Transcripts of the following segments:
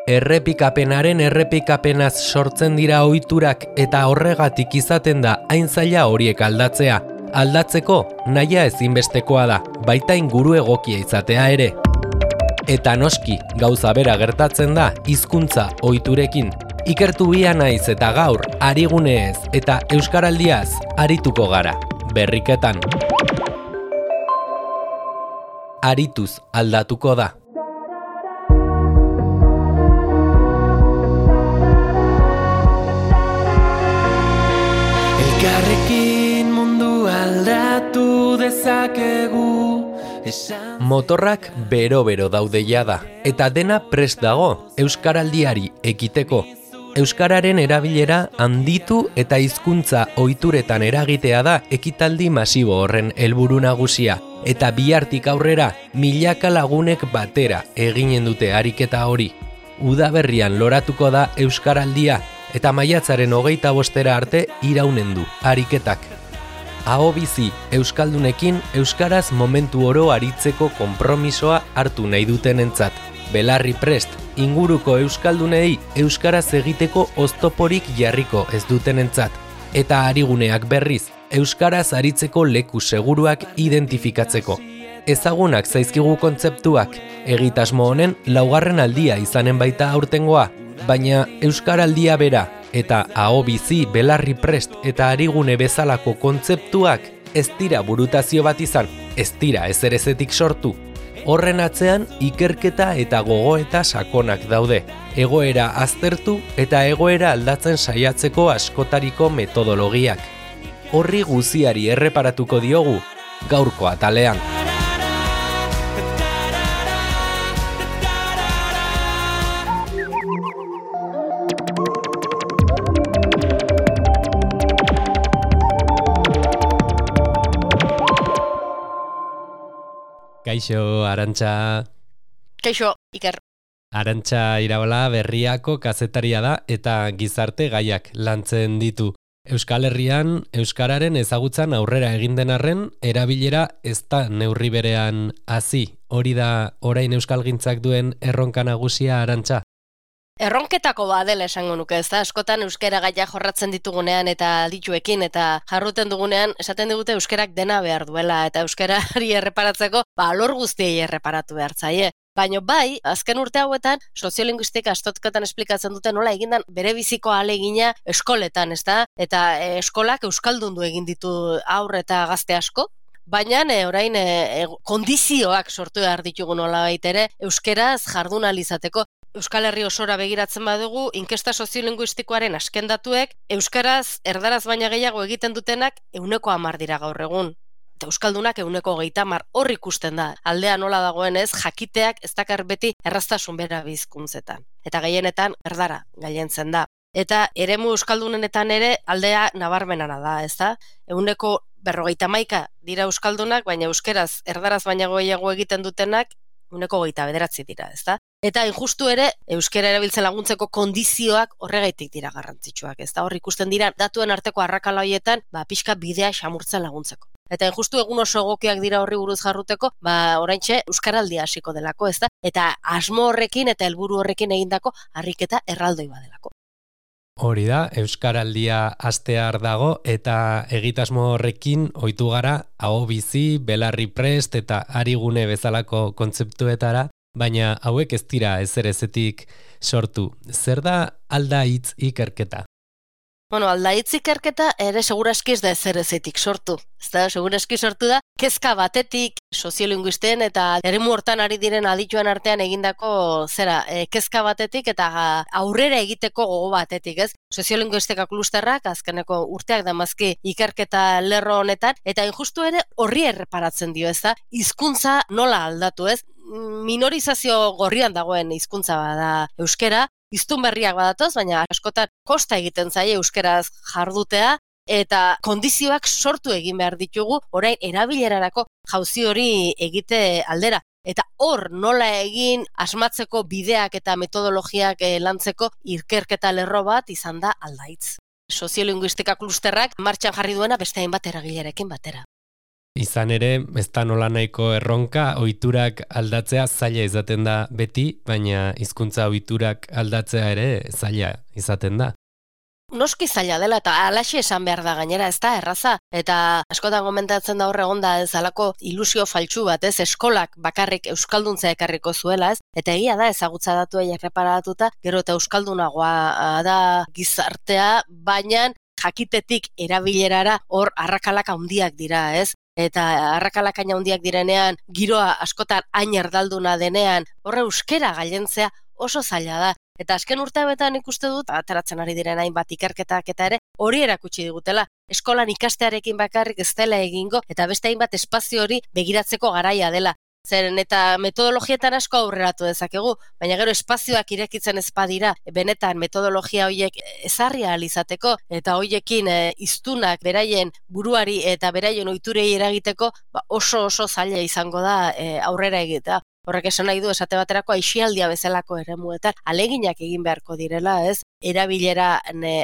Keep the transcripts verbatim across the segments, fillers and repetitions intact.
Errepikapenaren errepikapenaz sortzen dira ohiturak eta horregatik izaten da hain zaila horiek aldatzea. Aldatzeko nahia ezinbestekoa da, baita inguru egokia izatea ere. Eta noski, gauza bera gertatzen da hizkuntza ohiturekin. Ikertu bia naiz eta gaur, ariguneez eta euskaraldiaz arituko gara, berriketan. Arituz aldatuko da. Elkarrekin mundu aldatu dezakegu. Motorrak bero-bero daude jada, eta dena prest dago euskaraldiari ekiteko. Euskararen erabilera handitu eta hizkuntza ohituretan eragitea da ekitaldi masibo horren helburu nagusia, eta bihartik aurrera milaka lagunek batera eginen dute ariketa hori. Udaberrian loratuko da euskaraldia, eta maiatzaren hogeita bostera arte iraunen du ariketak. Aho bizi euskaldunekin euskaraz momentu oro aritzeko konpromisoa hartu nahi dutenentzat. Belarri prest, inguruko euskaldunei euskaraz egiteko oztoporik jarriko ez dutenentzat. Eta ariguneak berriz, euskaraz aritzeko leku seguruak identifikatzeko. Ezagunak zaizkigu kontzeptuak, egitasmo honen laugarren aldia izanen baita aurtengoa, baina euskaraldia bera eta aho bizi, belarri prest eta arigune bezalako kontzeptuak ez dira burutazio bat izan, ez dira ezerezetik sortu. Horren atzean ikerketa eta gogoeta sakonak daude, egoera aztertu eta egoera aldatzen saiatzeko askotariko metodologiak. Horri guziari erreparatuko diogu gaurko atalean. Kaixo, Arantxa. Kaixo, Iker. Arantxa Iraola Berriako kazetaria da eta gizarte gaiak lantzen ditu. Euskal Herrian, euskararen ezagutzan aurrera egin den arren, erabilera ez da neurri berean hazi. Hori da orain euskalgintzak duen erronka nagusia, Arantxa? Erronketako badela esango nuke, ez da, askotan euskara gaia jorratzen ditugunean eta dituekin eta jarruten dugunean esaten digute euskerak dena behar duela eta euskarari erreparatzeko, ba, alor guztiei erreparatu behar zaie. Baina bai, azken urte hauetan, soziolinguistika astotketan esplikatzen dute nola egindan bere biziko ahalegina eskoletan, ez da? Eta e, eskolak euskaldundu egin ditu haur eta gazte asko, baina e, orain e, kondizioak sortu behar ditugu nola baitere, euskeraz jardun ahal izateko. Euskal Herri osora begiratzen badugu, inkesta soziolinguistikoaren azken datuek, euskaraz, erdaraz baina gehiago egiten dutenak euneko hamar dira gaur egun. Eta euskaldunak euneko hogeita hamar hor ikusten da. Aldea nola dagoenez, jakiteak ez dakar beti erraztasun bera bizkuntzetan. Eta gehienetan erdara gailentzen da. Eta eremu euskaldunenetan ere aldea nabarmenana da, ez da? Euneko berrogeita hamaika dira euskaldunak, baina euskeraz, erdaraz baina gehiago egiten dutenak, euneko hogeita bederatzi dira, ez da? Eta injustu ere, euskara erabiltzen laguntzeko kondizioak horregaitik dira garrantzitsuak, ez da? Hor ikusten dira datuen arteko arrakala horietan, ba, pixka bidea xamurtzen laguntzeko. Eta injustu egun oso egokiak dira horri buruz jarruteko, ba, oraintxe euskaraldia hasiko delako, ez da? Eta asmo horrekin eta helburu horrekin egindako harriketa erraldoi badelako. Hori da, euskaraldia hastear dago eta egitasmo horrekin ohitu gara aho bizi, belarri prest eta arigune bezalako kontzeptuetara, baina hauek ez dira ezerezetik sortu. Zer da aldaitz ikerketa? Bueno, aldaitz ikerketa ere seguraski ez da ezerezetik sortu. Ez da, seguraski sortu da, kezka batetik soziolinguisten eta eremu hortan ari diren adituen artean egindako zera, e, kezka batetik eta aurrera egiteko gogo batetik, ez? Soziolinguistika klusterrak azkeneko urteak damazki ikerketa lerro honetan, eta injustu ere horri erreparatzen dio, ez da? Hizkuntza nola aldatu, ez? Minorizazio gorrian dagoen hizkuntza bada euskera, hiztun berriak badatoz, baina askotan kosta egiten zaie euskeraz jardutea, eta kondizioak sortu egin behar ditugu orain erabilerarako jauzi hori egite aldera. Eta hor nola egin asmatzeko bideak eta metodologiak lantzeko ikerketa lerro bat izan da aldaitz. Soziolinguistika klusterrak martxan jarri duena beste hainbat eragilerekin batera. Izan ere, ez da nola nahiko erronka, ohiturak aldatzea zaila izaten da beti, baina hizkuntza ohiturak aldatzea ere zaila izaten da. Noski zaila dela eta alaxe esan behar da gainera, ez da erraza. Eta askotan komentatzen da hor egonda ez alako ilusio faltsu bat, ez eskolak bakarrik euskalduntzea ekarriko zuela, ez? Eta egia da ezagutza datuei erreparatuta, gero eta euskaldunagoa da gizartea, baina jakitetik erabilerara hor arrakalak handiak dira, ez? Eta arrakalak hain handiak direnean, giroa askotan hain erdalduna denean, horre euskera gailentzea oso zaila da. Eta azken urteetan ikuste dut, ateratzen ari diren hainbat ikerketak eta ere, hori erakutsi digutela. Eskolan ikastearekin bakarrik ez dela egingo, eta beste hainbat espazio hori begiratzeko garaia dela. Zeren eta metodologietan asko aurreratu dezakegu, baina gero espazioak irekitzen ez badira, benetan metodologia horiek ezarri ahal izateko, eta horiekin e, hiztunak beraien buruari eta beraien ohiturei eragiteko, ba, oso oso zaila izango da e, aurrera egitea. Horrek esan nahi du esate baterako aisialdia bezalako eremuetan aleginak egin beharko direla, ez? Erabilera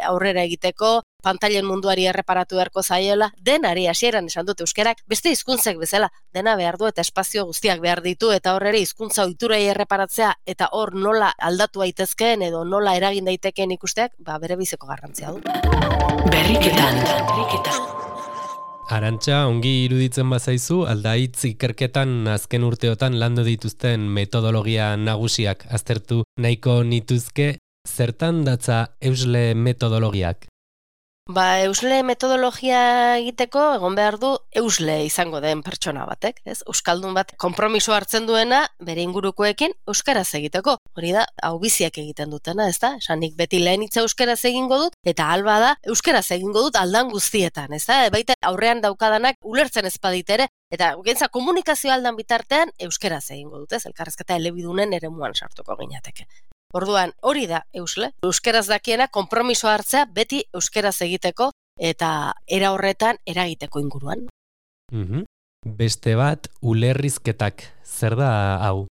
aurrera egiteko, pantailen munduari erreparatu beharko zaiela, denari hasieran esan dut euskerak, beste hizkuntzek bezala, dena behar du eta espazio guztiak behar ditu eta hor ere hizkuntza ohiturei erreparatzea eta hor nola aldatu daitezkeen edo nola eragin daitekeen ikusteak, ba bere biziko garrantzia du. Berriketan, berriketan. Arantxa, ongi iruditzen bazaizu, aldaitz ikerketan azken urteotan landu dituzten metodologia nagusiak aztertu nahiko nituzke, zertan datza eusle metodologiak? Ba, eusle metodologia egiteko egon behar du eusle izango den pertsona batek, ez? Euskaldun bat konpromiso hartzen duena bere ingurukoekin euskaraz egiteko. Hori da, hau biziak egiten dutena, ez da? Esanik beti lehen hitza euskaraz egingo dut, eta alba da euskaraz egingo dut aldan guztietan, ez da? Baita aurrean daukadanak ulertzen ez baditere, eta gentza komunikazio aldan bitartean euskaraz egingo dut, ez? Elkarrezketa elebidunen eremuan sartuko ginateke. Orduan, hori da eusle. Euskeraz dakiena konpromiso hartzea beti euskeraz egiteko eta era horretan eragiteko inguruan. Mm-hmm. Beste bat, ulerrizketak. Zer da hau?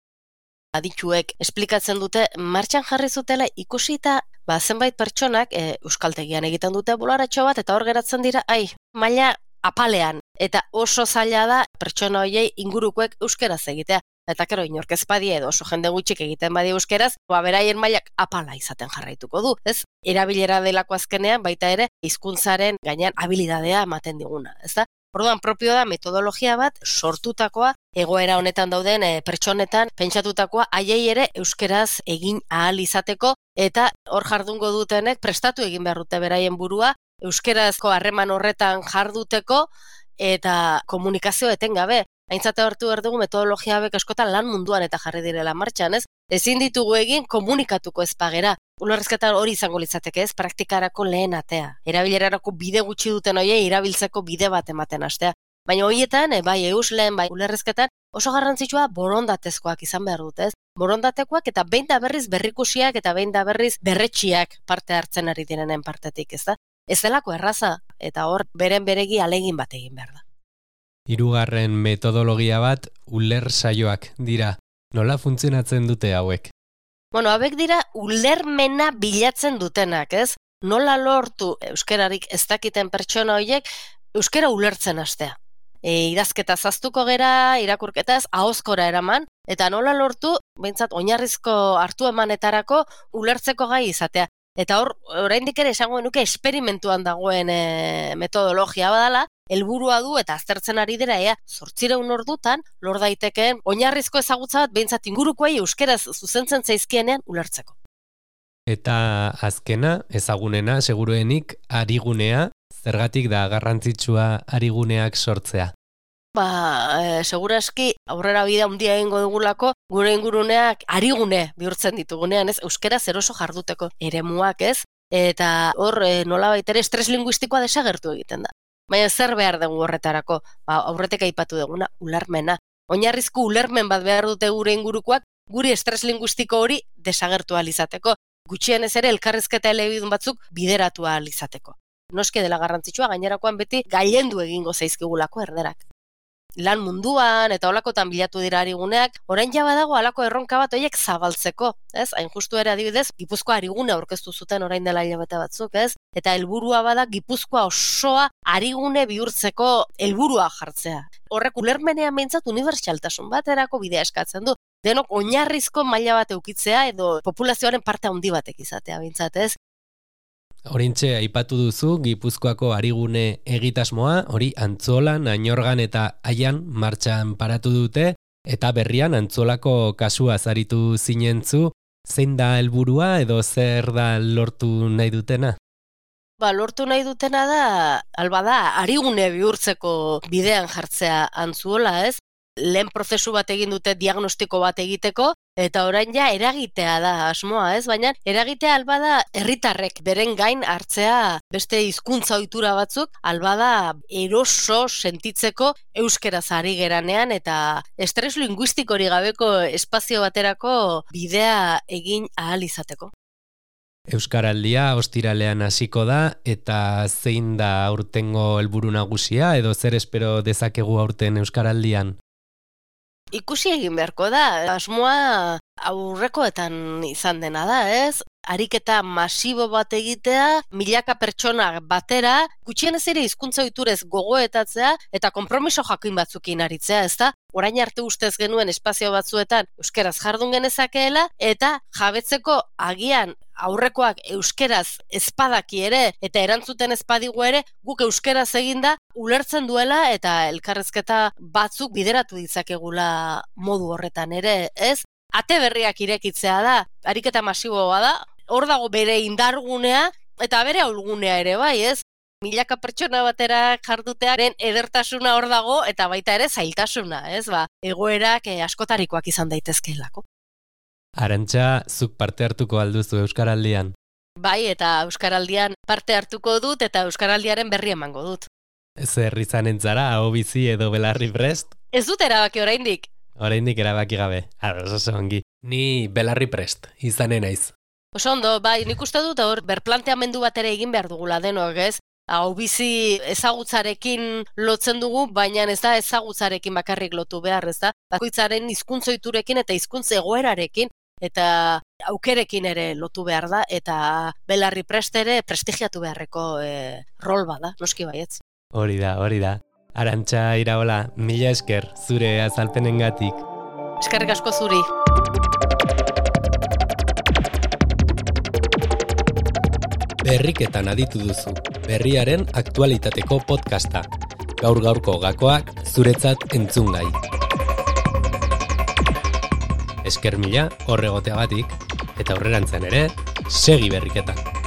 Adituek esplikatzen dute martxan jarri zutela ikusita, ba zenbait pertsonak e, euskaltegian egiten dute bolaratxo bat eta hor geratzen dira, ai, maila apalean. Eta oso zaila da pertsona horiei ingurukoek euskeraz egitea. Eta kero inork ez badie edo oso jende gutxik egiten badi euskeraz, ba beraien mailak apala izaten jarraituko du, ez? Erabilera delako azkenean baita ere hizkuntzaren gainean habilidadea ematen diguna, ezta? Orduan propio da metodologia bat sortutakoa egoera honetan dauden e, pertsonetan pentsatutakoa haiei ere euskeraz egin ahal izateko eta hor jardungo dutenek prestatu egin behar dute beraien burua euskerazko harreman horretan jarduteko eta komunikazio etengabe. Aintzate hartu behar dugu metodologia hauek askotan lan munduan eta jarri direla martxan, ez? Ezin ditugu egin komunikatuko ez pagera. Ulerrizketan hori izango litzateke, ez? Praktikarako lehen atea. Erabilerarako bide gutxi duten hoiei erabiltzeko bide bat ematen hastea. Baina horietan, e, bai eusleen, bai ulerrizketan, oso garrantzitsua borondatezkoak izan behar dute, ez? Borondatekoak eta behin da berriz berrikusiak eta behin da berriz berretsiak parte hartzen ari direnen partetik, ez da? Ez delako erraza, eta hor beren beregi alegin bat egin behar da. Hirugarren metodologia bat uler saioak dira. Nola funtzionatzen dute hauek? Bueno, hauek dira ulermena bilatzen dutenak, ez? Nola lortu euskerarik ez dakiten pertsona horiek euskera ulertzen hastea. E, idazketa zaztuko gera, irakurketaz, ahozkora eraman, eta nola lortu, behintzat, oinarrizko hartu emanetarako ulertzeko gai izatea. Eta hor, oraindik ere esango nuke esperimentuan dagoen e, metodologia badala, helburua du eta aztertzen ari dira ea zortziehun ordutan lor daitekeen oinarrizko ezagutza bat behintzat ingurukoei euskeraz zuzentzen zaizkienean ulertzeko. Eta azkena, ezagunena, seguruenik, arigunea, zergatik da garrantzitsua ariguneak sortzea? Ba, e, seguraski aurrera bide handia egingo dugulako gure inguruneak arigune bihurtzen ditugunean, ez? Euskeraz eroso jarduteko eremuak, ez? Eta hor e, nolabait ere estres linguistikoa desagertu egiten da. Baina zer behar dugu horretarako, ba, aurretek aipatu duguna, ulermena. Oinarrizko ulermen bat behar dute gure ingurukoak, guri estres linguistiko hori desagertu ahal izateko. Gutxienez ere elkarrizketa elebidun batzuk bideratu ahal izateko. Noski dela garrantzitsua, gainerakoan beti gailendu egingo zaizkigulako erderak. lan munduan eta holakotan bilatu dira ariguneak, orain ja badago halako erronka bat horiek zabaltzeko, ez? Hain justu ere adibidez, Gipuzkoa arigune aurkeztu zuten orain dela hilabete batzuk, ez? Eta helburua bada Gipuzkoa osoa arigune bihurtzeko helburua jartzea. Horrek ulermenean behintzat unibertsaltasun baterako bidea eskatzen du. Denok oinarrizko maila bat eukitzea edo populazioaren parte handi batek izatea behintzat, ez? Orintxe aipatu duzu Gipuzkoako arigune egitasmoa, hori Antzolan, Añorgan eta Aian martxan paratu dute, eta berrian Antzolako kasua zaritu zinentzu, zein da helburua edo zer da lortu nahi dutena? Ba, lortu nahi dutena da, alba da, arigune bihurtzeko bidean jartzea Antzuola, ez? Lehen prozesu bat egin dute diagnostiko bat egiteko, eta orain ja eragitea da asmoa, ez? Baina eragitea alba da herritarrek beren gain hartzea beste hizkuntza ohitura batzuk, alba da eroso sentitzeko euskeraz ari geranean eta estres linguistikorik gabeko espazio baterako bidea egin ahal izateko. Euskaraldia ostiralean hasiko da eta zein da aurtengo helburu nagusia edo zer espero dezakegu aurten Euskaraldian? Ikusi egin beharko da, asmoa aurrekoetan izan dena da, ez? Ariketa masibo bat egitea, milaka pertsona batera, gutxienez ere hizkuntza ohiturez gogoetatzea eta konpromiso jakin batzukin aritzea, ezta? Orain arte ustez genuen espazio batzuetan euskeraz jardun genezakeela eta jabetzeko agian aurrekoak euskeraz ezpadaki ere eta erantzuten ezpadigu ere guk euskeraz eginda ulertzen duela eta elkarrezketa batzuk bideratu ditzakegula modu horretan ere, ez? Ate berriak irekitzea da, ariketa masiboa da, hor dago bere indargunea eta bere ahulgunea ere bai, ez? Milaka pertsona batera jardutearen edertasuna hor dago eta baita ere zailtasuna, ez? Ba, egoerak eh, askotarikoak izan daitezkeelako. Arantxa, zuk parte hartuko alduzu Euskaraldian? Bai, eta Euskaraldian parte hartuko dut eta Euskaraldiaren berri emango dut. Zer izanen zara, hau bizi edo belarri prest? Ez dut erabaki oraindik. Oraindik erabaki gabe, ados oso ongi. Ni belarri prest, izanen naiz. Oso ondo, bai, nik uste dut hor berplanteamendu bat ere egin behar dugula denok, ez? Hau bizi ezagutzarekin lotzen dugu, baina ez da ezagutzarekin bakarrik lotu behar, ez da? Bakoitzaren hizkuntza ohiturekin eta hizkuntza egoerarekin eta aukerekin ere lotu behar da, eta belarri prest ere prestigiatu beharreko e, rol bada, noski baietz. Hori da, hori da. Arantxa Iraola, mila esker zure azalpenengatik. Eskerrik asko zuri. Berriketan aditu duzu, berriaren aktualitateko podcasta. Gaur-gaurko gakoak zuretzat entzungai. Esker mila horregoteagatik, eta aurrerantzean ere, segi berriketan.